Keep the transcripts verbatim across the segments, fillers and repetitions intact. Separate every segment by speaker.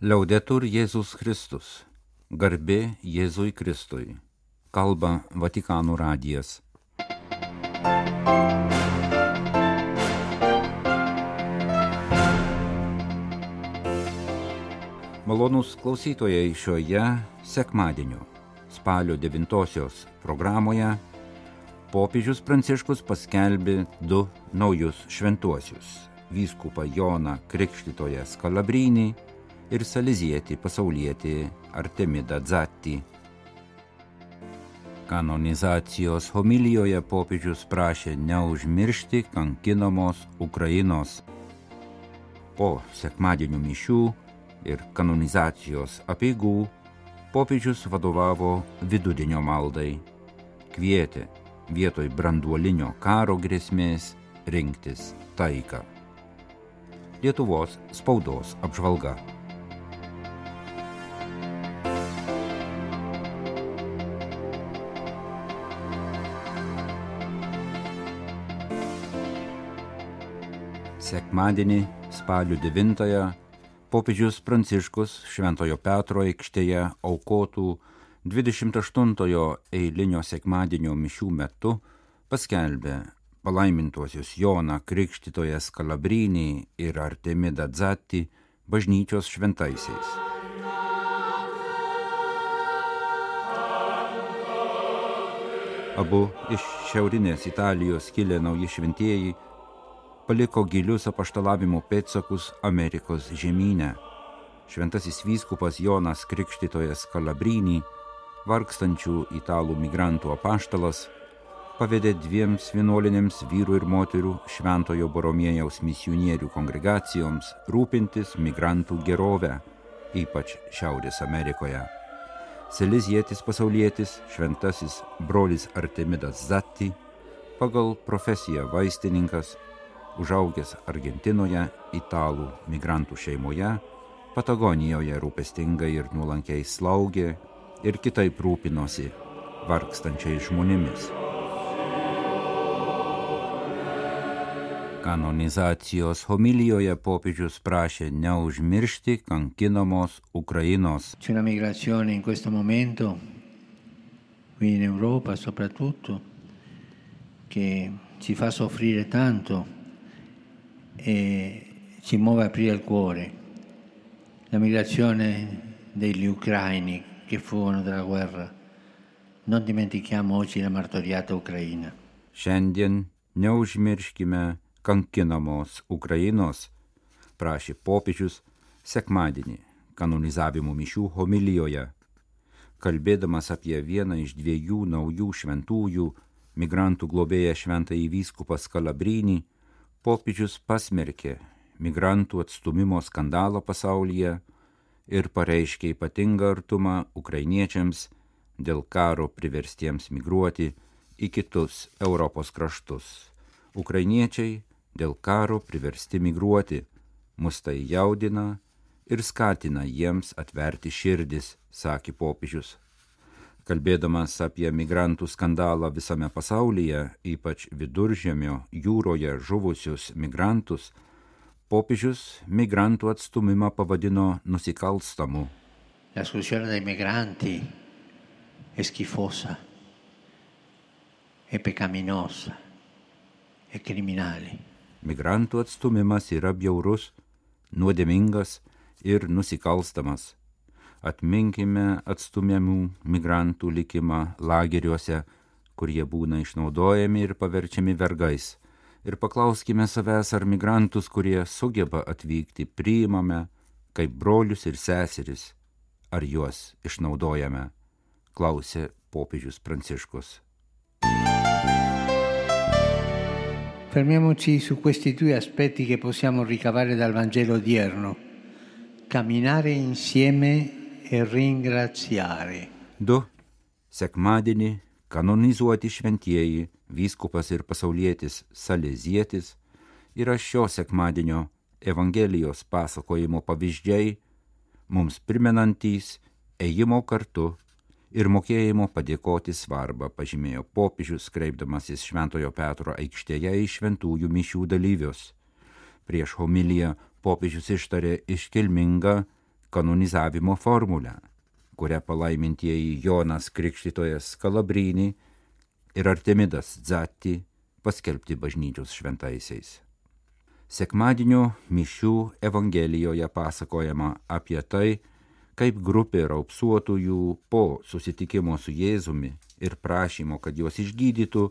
Speaker 1: Liaudetur Jėzus Kristus. Garbė Jėzui Kristui. Kalba Vatikano radijas. Malonūs klausytojai, šioje sekmadienio spalio devintosios programoje popiežius Pranciškus paskelbė du naujus šventuosius – vyskupą Joną Krikštytoją Skalabrynį ir salezietį pasaulietį Artemidą Dzatį. Kanonizacijos homilijoje popiežius prašė neužmiršti kankinamos Ukrainos. Po sekmadienio mišių ir kanonizacijos apeigų popiežius vadovavo vidudienio maldai, kvietė vietoj branduolinio karo grėsmės rinktis taiką. Lietuvos spaudos apžvalga. Sekmadienį, spalio devintąją, popiežius Pranciškus Šventojo Petro aikštėje aukotų dvidešimt aštuntojo eilinio sekmadienio mišių metu paskelbė palaimintuosius Joną Krikštytoją Skalabrynį ir Artemidą Dzatį bažnyčios šventaisiais. Abu iš šiaurinės Italijos kilę nauji šventieji paliko gilius apaštalavimo pėdsakus Amerikos žemyne. Šventasis vyskupas Jonas Krikštytojas Skalabrynį, vargstančių italų migrantų apaštalas, pavedė dviems vienuolinėms vyrų ir moterų Šventojo Boromiejaus misionierių kongregacijoms rūpintis migrantų gerovę, ypač Šiaurės Amerikoje. Salezietis pasaulietis, šventasis brolis Artemidas Dzatį, pagal profesiją vaistininkas, užaugęs Argentinoje, italų migrantų šeimoje, Patagonijoje rūpestingai ir nuolankiai slaugė ir kitaip rūpinosi vargstančiais žmonėmis. Kanonizacijos homilijoje popiežius prašė neužmiršti kankinamos Ukrainos.
Speaker 2: C'è una migrazione in questo momento, qui in Europa soprattutto, che ci fa soffrire tanto e ci muove a aprire il cuore. La migrazione degli ucraini che fuggono dalla guerra. Non dimentichiamo oggi la martoriata Ucraina.
Speaker 1: Šiandien neužmirškime kankinamos Ukrainos, prašė popiežius sekmadienį kanonizavimo mišių homilijoje. Kalbėdamas apie vieną iš dviejų naujų šventųjų, migrantų globėją šventąjį vyskupą Skalabrynį, popiežius pasmerkė migrantų atstūmimo skandalą pasaulyje ir pareiškė ypatingą artumą ukrainiečiams dėl karo priverstiems migruoti į kitus Europos kraštus. Ukrainiečiai dėl karo priversti migruoti, mus tai jaudina ir skatina jiems atverti širdis, sakė popiežius. Kalbėdamas apie migrantų skandalą visame pasaulyje, ypač Viduržemio jūroje žuvusius migrantus, popiežius migrantų atstūmimą pavadino nusikalstamu.
Speaker 2: La esclusione dei migranti è schifosa, è peccaminosa, è criminale.
Speaker 1: Migrantų atstūmimas yra bjaurus, nuodėmingas ir nusikalstamas. Atminkime atstumiamų migrantų likimą lageriuose, kur jie būna išnaudojami ir paverčiami vergais. Ir paklauskime savęs, ar migrantus, kurie sugeba atvykti, priimame kaip brolius ir seseris, ar juos išnaudojame, klausė popiežius Pranciškus.
Speaker 2: Fermiamoci su questi due aspetti che possiamo ricavare dal Vangelo odierno. Camminare insieme e ringraziare.
Speaker 1: Du. Sekmadienį kanonizuoti šventieji, vyskupas ir pasaulietis Salezietis yra šio sekmadienio Evangelijos pasakojimo pavyzdžiai, mums primenantys ėjimo kartu ir mokėjimo padėkoti svarbą, pažymėjo popiežius, kreipdamasis Šventojo Petro aikštėje į šventųjų mišių dalyvius. Prieš homiliją popiežius ištarė iškilmingą kanonizavimo formulę, kurią palaimintieji Jonas Krikštytojas Kalabrini ir Artemidas Dzatti paskelbti bažnyčios šventaisiais. Sekmadienio mišių Evangelijoje pasakojama apie tai, kaip grupė raupsuotųjų po susitikimo su Jėzumi ir prašymo, kad juos išgydytų,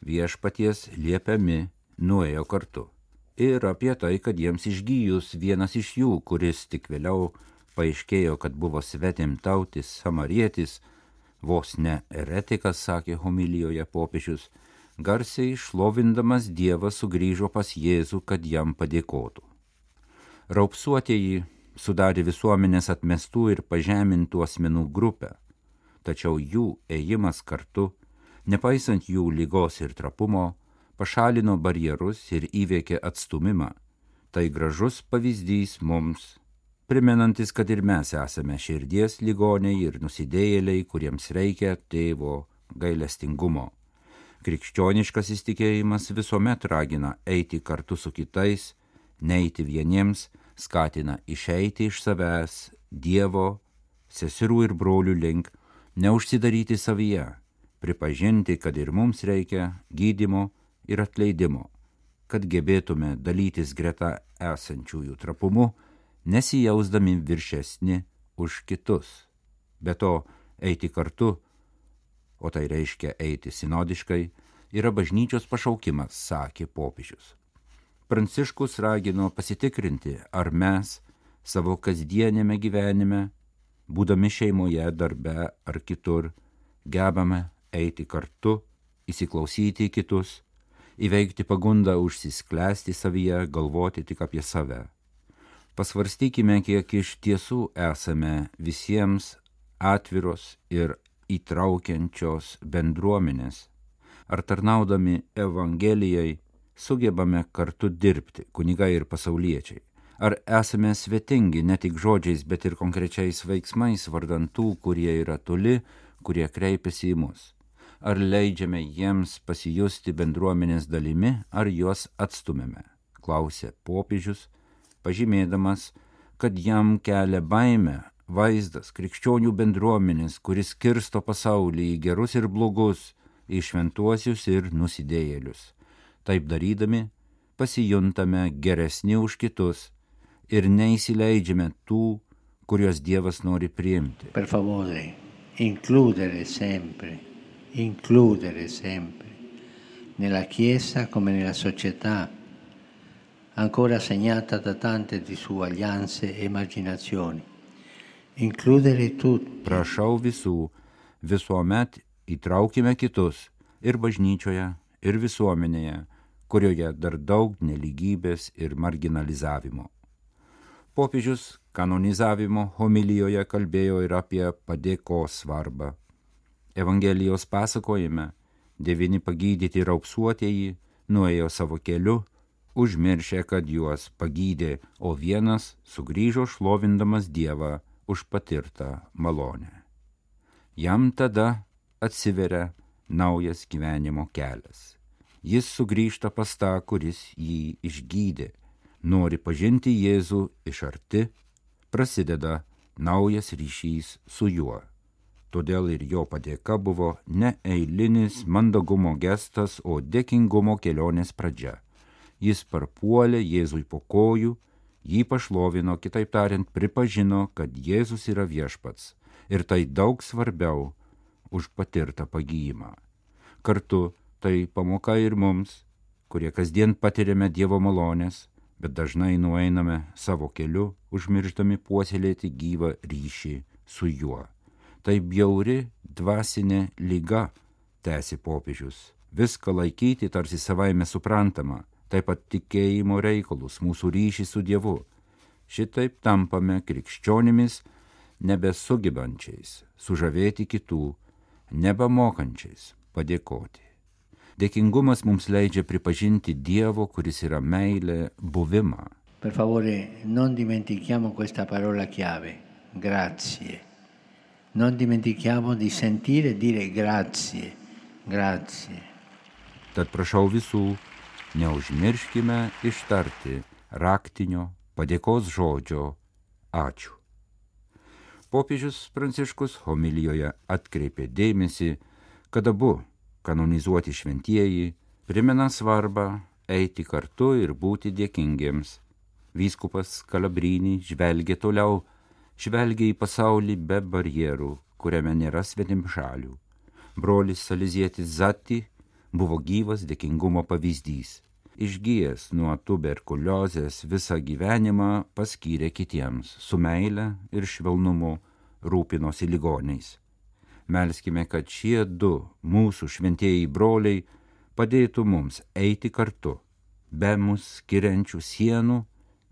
Speaker 1: viešpaties liepiami nuėjo kartu. Ir apie tai, kad jiems išgyjus vienas iš jų, kuris tik vėliau paaiškėjo, kad buvo svetimtautis samarietis, vos ne eretikas, sakė homilijoje popiežius, garsiai šlovindamas Dievą sugrįžo pas Jėzų, kad jam padėkotų. Raupsuotieji sudarė visuomenės atmestų ir pažemintų asmenų grupę, tačiau jų ėjimas kartu, nepaisant jų ligos ir trapumo, pašalino barjerus ir įveikė atstūmimą. Tai gražus pavyzdys mums, primenantis, kad ir mes esame širdies ligoniai ir nusidėjėliai, kuriems reikia tėvo gailestingumo. Krikščioniškas įstikėjimas visuomet ragina eiti kartu su kitais, neiti vieniems, skatina išeiti iš savęs Dievo, seserų ir brolių link, neužsidaryti savyje, pripažinti, kad ir mums reikia gydymo ir atleidimo, kad gebėtume dalytis greta esančiųjų trapumu, nesijausdami viršesni už kitus. Be to, eiti kartu, o tai reiškia eiti sinodiškai, yra bažnyčios pašaukimas, sakė popiežius. Pranciškus ragino pasitikrinti, ar mes savo kasdienėme gyvenime, būdami šeimoje, darbe ar kitur, gebame eiti kartu, įsiklausyti į kitus, įveikti pagundą užsisklęsti savyje, galvoti tik apie save. Pasvarstykime, kiek iš tiesų esame visiems atviros ir įtraukiančios bendruomenės, ar tarnaudami Evangelijai sugebame kartu dirbti, kunigai ir pasauliečiai, ar esame svetingi ne tik žodžiais, bet ir konkrečiais veiksmais vardan tų, kurie yra toli, kurie kreipiasi į mus, ar leidžiame jiems pasijusti bendruomenės dalimi, ar juos atstumėme, klausė popiežius, pažymėdamas, kad jam kelia baimę vaizdas krikščionių bendruomenės, kuris skirsto pasaulį į gerus ir blogus, į šventuosius ir nusidėjėlius. Taip darydami, pasijuntame geresni už kitus ir neįsileidžiame tų, kuriuos Dievas nori priimti.
Speaker 2: Per favore, includere sempre, includere sempre, nella Chiesa come nella società, ancora segnata da tante disuguaglianze e emarginazioni. Includere tutti.
Speaker 1: Prašau visų, visuomet įtraukime kitus ir bažnyčioje, ir visuomenėje, kurioje dar daug nelygybės ir marginalizavimo. Popiežius kanonizavimo homilijoje kalbėjo ir apie padėkos svarbą. Evangelijos pasakojime devyni pagydyti raupsuotieji nuėjo savo keliu, užmiršę, kad juos pagydė, o vienas sugrįžo šlovindamas Dievą už patirtą malonę. Jam tada atsiveria naujas gyvenimo kelias. Jis sugrįžta pas tą, kuris jį išgydė, nori pažinti Jėzų iš arti, prasideda naujas ryšys su juo. Todėl ir jo padėka buvo ne eilinis mandagumo gestas, o dėkingumo kelionės pradžia. Jis parpuolė Jėzui po kojų, jį pašlovino, kitaip tariant, pripažino, kad Jėzus yra viešpats, ir tai daug svarbiau už patirtą pagijimą. Kartu tai pamoka ir mums, kurie kasdien patiriame Dievo malonės, bet dažnai nueiname savo keliu, užmirždami puoselėti gyvą ryšį su juo. Tai bjauri dvasinė liga, tęsė popiežius, viską laikyti tarsi savaime suprantama, taip pat tikėjimo reikalus, mūsų ryšį su Dievu. Šitaip tampame krikščionimis, nebesugebančiais sužavėti kitų, nebemokančiais padėkoti. Dėkingumas mums leidžia pripažinti Dievo, kuris yra meilė, buvimą.
Speaker 2: Per favore, non dimentichiamo questa parola chiave, grazie. Non dimentichiamo di sentire e dire grazie, grazie.
Speaker 1: Tad prašau visų, neužmirškime ištarti raktinio padėkos žodžio ačiū. Popiežius Pranciškus homilijoje atkreipė dėmesį, kad abu kanonizuoti šventieji primena svarbą eiti kartu ir būti dėkingiems. Vyskupas Kalabrini žvelgia toliau, žvelgia į pasaulį be barjerų, kuriame nėra svetimšalių. Brolis salezietis Zatti buvo gyvas dėkingumo pavyzdys. Išgijęs nuo tuberkuliozės visą gyvenimą paskyrė kitiems, su meile ir švelnumu rūpinosi ligoniais. Melskime, kad šie du mūsų šventieji broliai padėtų mums eiti kartu, be mus skiriančių sienų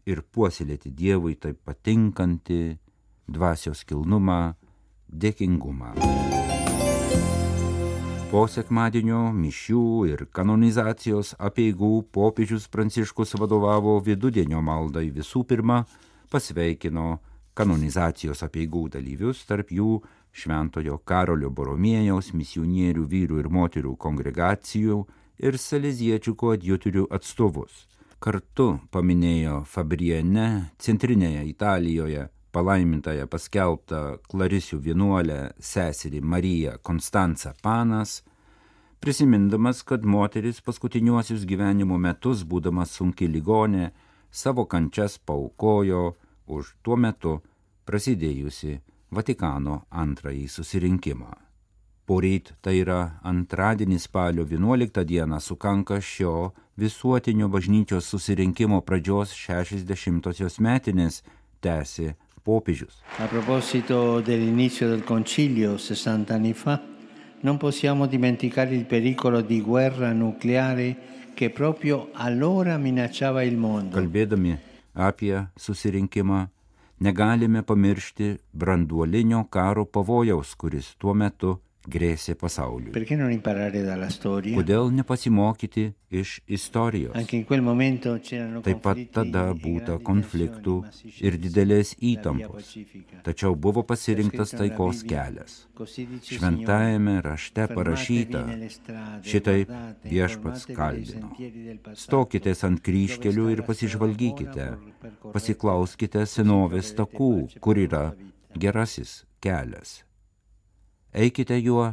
Speaker 1: ir puoselėti Dievui taip patinkantį dvasios kilnumą, dėkingumą. Po sekmadienio mišių ir kanonizacijos apeigų popiežius Pranciškus vadovavo vidudienio maldai. Visų pirma, pasveikino kanonizacijos apeigų dalyvius, tarp jų Šventojo Karolio Boromėjaus misionierių vyrų ir moterų kongregacijų ir saleziečių koadjutorių atstovus. Kartu paminėjo Fabriene, centrinėje Italijoje, palaimintąją paskelbtą Klarisių vienuolę seserį Mariją Konstancą Panas, prisimindamas, kad moteris paskutiniuosius gyvenimo metus, būdama sunki ligonė, savo kančias paaukojo už tuo metu prasidėjusi Vatikano antrąjį susirinkimą. Poryt, tai yra antradienį spalio vienuoliktą dieną, sukanka šio visuotinio bažnyčios susirinkimo pradžios šešiasdešimtosios metinės, tęsė popiežius.
Speaker 2: A proposito dell'inizio del concilio sessanta anni fa, non possiamo dimenticare il pericolo di guerra nucleare che proprio allora minacciava il mondo.
Speaker 1: Kalbėdami apie susirinkimą, negalime pamiršti branduolinio karo pavojaus, kuris tuo metu grėsė pasauliui.
Speaker 2: Perché non imparare dalla storia?
Speaker 1: Kodėl nepasimokyti iš istorijos?
Speaker 2: Anche in quel momento c'erano
Speaker 1: Taip pat tada būta konfliktų ir didelės įtampos, tačiau buvo pasirinktas taikos kelias. Šventajame rašte parašyta, šitaip viešpats kalbino. Stokitės ant kryžkelių ir pasižvalgykite, pasiklauskite senovės takų, kur yra gerasis kelias. Eikite juo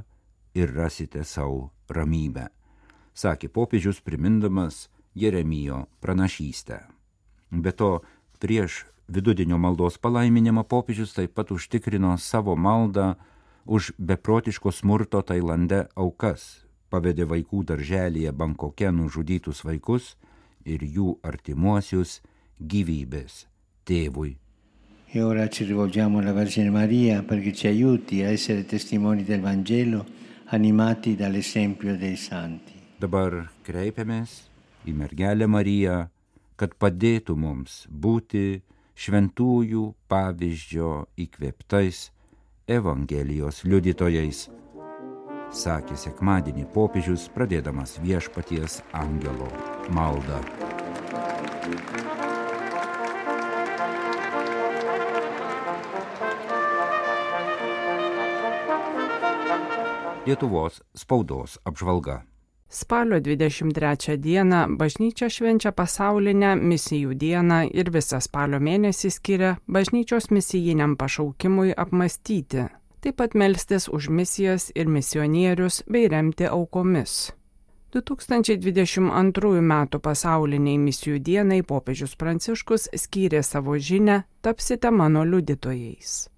Speaker 1: ir rasite savo ramybę, sakė popiežius primindamas Jeremijo pranašystę. Be to, prieš vidudienio maldos palaiminimą popiežius taip pat užtikrino savo maldą už beprotiško smurto Tailande aukas, pavedė vaikų darželyje Bankoke nužudytus vaikus ir jų artimuosius gyvybės tėvui.
Speaker 2: E ora ci rivolgiamo alla Vergine Maria perché ci aiuti a essere testimoni del Vangelo, animati dall'esempio dei santi.
Speaker 1: Dabar kreipiamės į mergelę Mariją, kad padėtų mums būti šventųjų pavyzdžio įkvėptais Evangelijos liudytojais, sakė sekmadienį popiežius, pradėdamas Viešpaties angelo maldą. Lietuvos spaudos apžvalga.
Speaker 3: Spalio dvidešimt trečią dieną bažnyčia švenčia pasaulinę misijų dieną ir visą spalio mėnesį skiria bažnyčios misijiniam pašaukimui apmąstyti, taip pat melstis už misijas ir misionierius bei remti aukomis. du tūkstančiai dvidešimt antrųjų metų pasauliniai misijų dienai popiežius Pranciškus skyrė savo žinią "Tapsite mano liudytojais".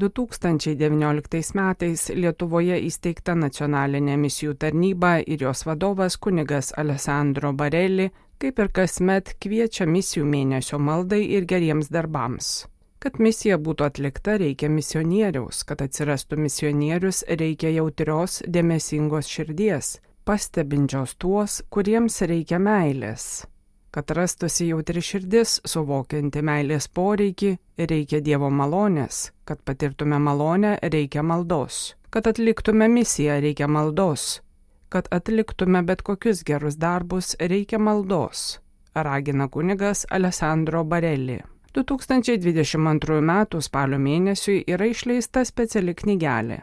Speaker 3: du tūkstančiai devynioliktais metais Lietuvoje įsteigta nacionalinė misijų tarnyba ir jos vadovas kunigas Alessandro Barelli, kaip ir kasmet, kviečia misijų mėnesio maldai ir geriems darbams. Kad misija būtų atlikta, reikia misionieriaus, kad atsirastų misionierius, reikia jautrios, dėmesingos širdies, pastebinčios tuos, kuriems reikia meilės. Kad rastųsi jautri širdis, suvokianti meilės poreikį, reikia Dievo malonės. Kad patirtume malonę, reikia maldos. Kad atliktume misiją, reikia maldos. Kad atliktume bet kokius gerus darbus, reikia maldos, ragina kunigas Alessandro Barelli. du tūkstančiai dvidešimt antrųjų metų spalio mėnesiui yra išleista speciali knygelė.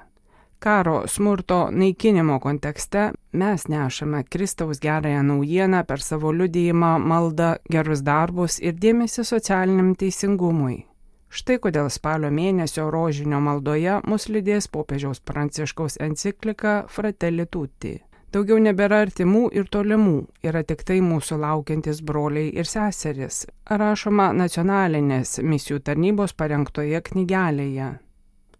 Speaker 3: Karo, smurto, naikinimo kontekste mes nešame Kristaus gerąją naujieną per savo liudijimą, maldą, gerus darbus ir dėmesį socialiniam teisingumui. Štai kodėl spalio mėnesio rožinio maldoje mus lydės popiežiaus Pranciškaus enciklika Fratelli Tutti. Daugiau nebėra artimų ir tolimų, yra tik tai mūsų laukiantis broliai ir seserys, rašoma nacionalinės misijų tarnybos parengtoje knygelėje.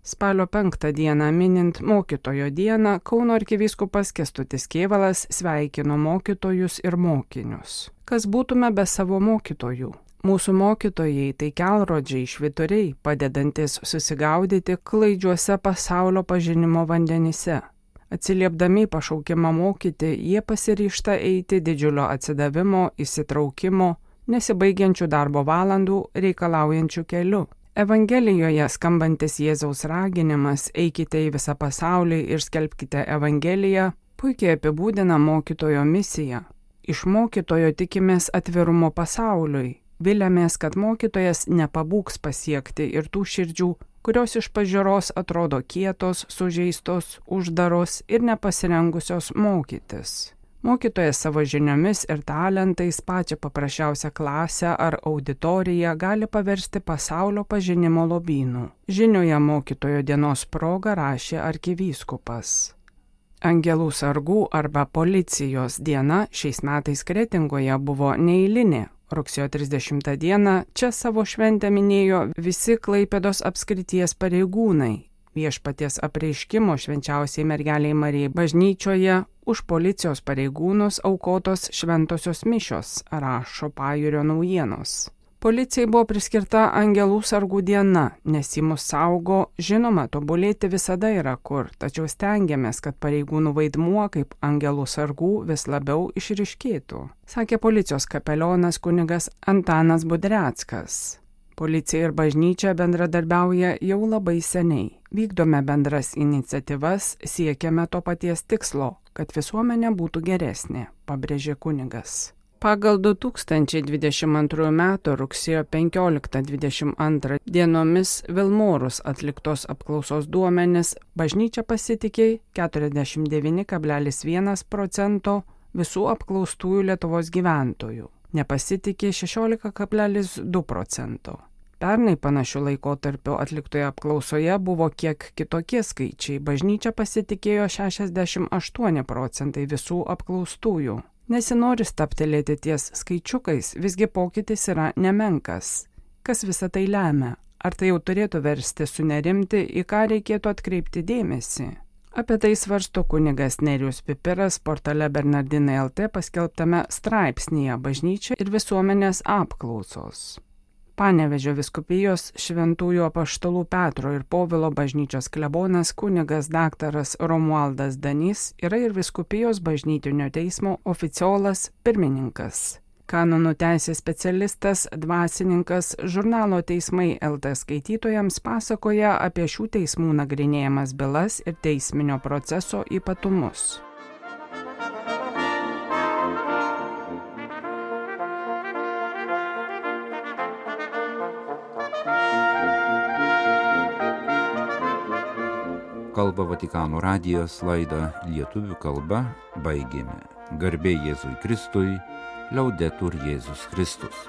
Speaker 3: Spalio penktą dieną minint mokytojo dieną, Kauno arkivyskupas Kęstutis Kėvalas sveikino mokytojus ir mokinius. Kas būtume be savo mokytojų? Mūsų mokytojai tai kelrodžiai švyturiai, padedantis susigaudyti klaidžiuose pasaulio pažinimo vandenyse. Atsiliepdami pašaukimą mokyti, jie pasiryžta eiti didžiulio atsidavimo, įsitraukimo, nesibaigiančių darbo valandų reikalaujančių keliu. Evangelijoje skambantis Jėzaus raginimas eikite į visą pasaulį ir skelbkite Evangeliją puikiai apibūdina mokytojo misiją. Iš mokytojo tikimės atvirumo pasauliui, viliamės, kad mokytojas nepabūgs pasiekti ir tų širdžių, kurios iš pažiūros atrodo kietos, sužeistos, uždaros ir nepasirengusios mokytis. Mokytojas savo žiniomis ir talentais pačią paprasčiausią klasę ar auditoriją gali paversti pasaulio pažinimo lobynu. Žinioje mokytojo dienos proga rašė arkivyskupas. Angelų sargų arba policijos diena šiais metais Kretingoje buvo neeilinė. Rugsėjo trisdešimtą dieną čia savo šventę minėjo visi Klaipėdos apskrities pareigūnai. Viešpaties apreiškimo švenčiausiai mergeliai Marijai bažnyčioje už policijos pareigūnus aukotos šventosios mišios, rašo Pajūrio naujienos. Policijai buvo priskirta Angelų sargų diena, nes ji mus saugo, žinoma, tobulėti visada yra kur, tačiau stengiamės, kad pareigūnų vaidmuo kaip Angelų sargų vis labiau išryškėtų, sakė policijos kapelionas kunigas Antanas Budreckas. Policija ir bažnyčia bendradarbiauja jau labai seniai. Vykdome bendras iniciatyvas, siekiame to paties tikslo, kad visuomenė būtų geresnė, pabrėžė kunigas. Pagal du tūkstančiai dvidešimt antrųjų metų rugsėjo penkioliktą dvidešimt antrą dienomis Vilmorus atliktos apklausos duomenis bažnyčia pasitikė keturiasdešimt devyni kablelis vienas procento visų apklaustųjų Lietuvos gyventojų, nepasitikė šešiolika kablelis du procento. Pernai panašių laikotarpių atliktoje apklausoje buvo kiek kitokie skaičiai, bažnyčia pasitikėjo šešiasdešimt aštuoni procentai visų apklaustųjų. Nesinori staptelėti ties skaičiukais, visgi pokytis yra nemenkas. Kas visą tai lemia? Ar tai jau turėtų versti sunerimti, į ką reikėtų atkreipti dėmesį? Apie tai svarsto kunigas Nerijus Pipiras portale Bernardinai L T paskelbtame straipsnyje Bažnyčia ir visuomenės apklausos. Panevėžio vyskupijos Šventųjų apaštalų Petro ir Povilo bažnyčios klebonas kunigas daktaras Romualdas Danys yra ir vyskupijos bažnytinio teismo oficiolas pirmininkas. Kanonų teisės specialistas, dvasininkas, žurnalo Teismai L T skaitytojams pasakoja apie šių teismų nagrinėjamas bylas ir teisminio proceso ypatumus.
Speaker 1: Kalba Vatikano radijas, laidą lietuvių kalba baigėme. Garbė Jėzui Kristui, Liaudetur Jėzus Kristus.